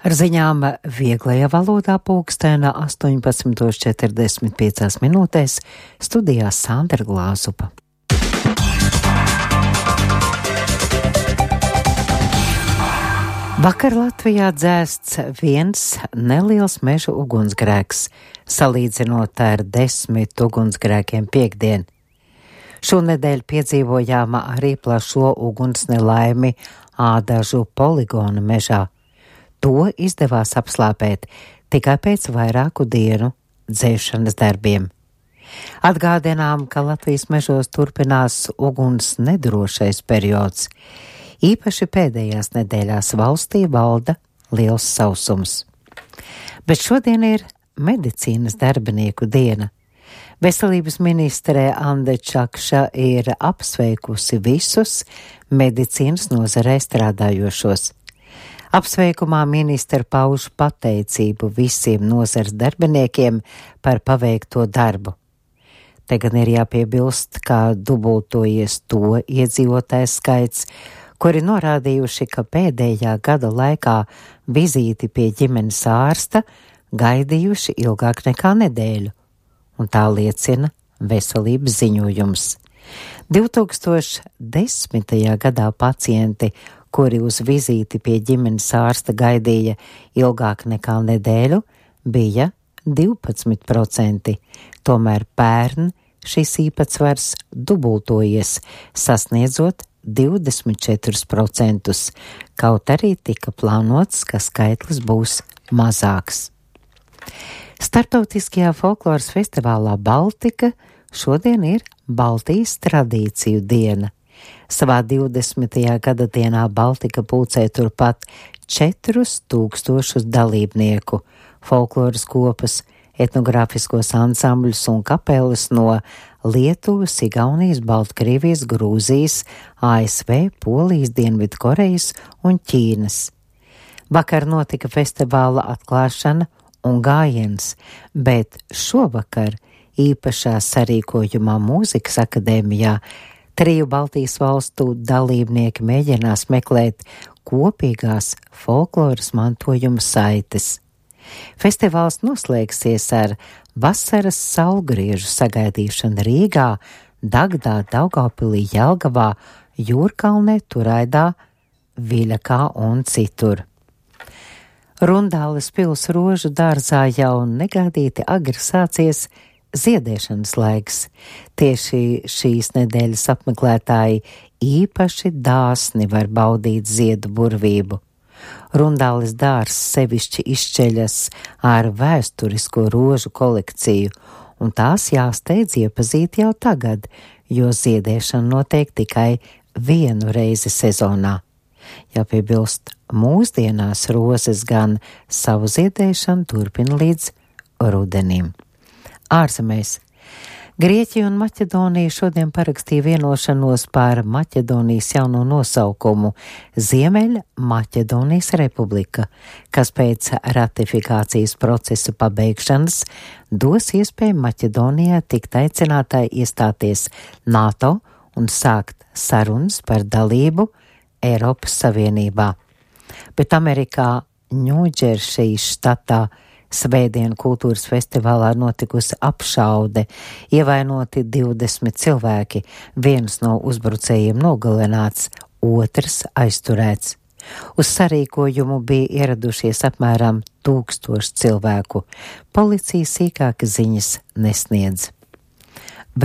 Ar ziņām vieglajā valodā pulkstēna 18:45 minūtēs studijā Sandra Glāzupa. Vakar Latvijā dzēsts viens neliels meža ugunsgrēks, salīdzinot ar 10 ugunsgrēkiem piektdien. Šonedēļ piedzīvojām arī plašo ugunsnelaimi Ādažu poligona mežā. To izdevās apslāpēt tikai pēc vairāku dienu dzēšanas darbiem. Atgādinām, ka Latvijas mežos turpinās uguns nedrošais periods. Īpaši pēdējās nedēļās valstī valda liels sausums. Bet šodien ir medicīnas darbinieku diena. Veselības ministre Ande Čakša ir apsveikusi visus medicīnas nozarē strādājošos. Apsveikumā ministre pauž pateicību visiem nozares darbiniekiem par paveikto darbu. Te gan ir jāpiebilst, ka dubultojies to iedzīvotāju skaits, kuri norādījuši, ka pēdējā gada laikā vizīti pie ģimenes ārsta gaidījuši ilgāk nekā nedēļu, un tā liecina veselības ziņojums. 2010. gadā pacienti, kuri uz vizīti pie ģimenes ārsta gaidīja ilgāk nekā nedēļu, bija 12%, tomēr pērn šis īpatsvars dubultojies, sasniedzot 24%, kaut arī tika plānots, ka skaitlis būs mazāks. Startautiskajā folkloras festivālā Baltika šodien ir Baltijas tradīciju diena. Savā 20. gada dienā Baltika pulcē turpat 4000 dalībnieku, folkloras kopas, etnogrāfiskos ansambļus un kapeles no Lietuvas, Igaunijas, Baltkrievijas, Grūzijas, ASV, Polijas, Dienvidkorejas un Ķīnas. Vakar notika festivāla atklāšana un gājiens, bet šovakar īpašā sarīkojumā Mūzikas akadēmijā 3 Baltijas valstu dalībnieki mēģinās meklēt kopīgās folkloras mantojuma saites. Festivāls noslēgsies ar vasaras saulgriežu sagaidīšanu Rīgā, Dagdā, Daugavpilī, Jelgavā, Jūrkalnē, Turaidā, Viļakā un citur. Rundāles pils rožu dārzā jau negaidīti agri sācies ziedēšanas laiks. Tieši šīs nedēļas apmeklētāji īpaši dāsni var baudīt ziedu burvību. Rundāles dārzs sevišķi izšķeļas ar vēsturisko rožu kolekciju, un tās jāsteidz iepazīt jau tagad, jo ziedēšana notiek tikai vienu reizi sezonā. Jāpiebilst, mūsdienās rozes gan savu ziedēšanu turpina līdz rudenim. Ārzemēs. Grieķija un Maķedonija šodien parakstīja vienošanos par Maķedonijas jauno nosaukumu Ziemeļa Maķedonijas Republika, kas pēc ratifikācijas procesa pabeigšanas dos iespēju Maķedonijai tikt aicinātai iestāties NATO un sākt sarunas par dalību Eiropas Savienībā. Bet Amerikā Ņūdžersijas štatā Svētdien kultūras festivālā notikusi apšaude, ievainoti 20 cilvēki, viens no uzbrucējiem nogalināts, otrs aizturēts. Uz sarīkojumu bija ieradušies apmēram 1000 cilvēku. Policija sīkākas ziņas nesniedz.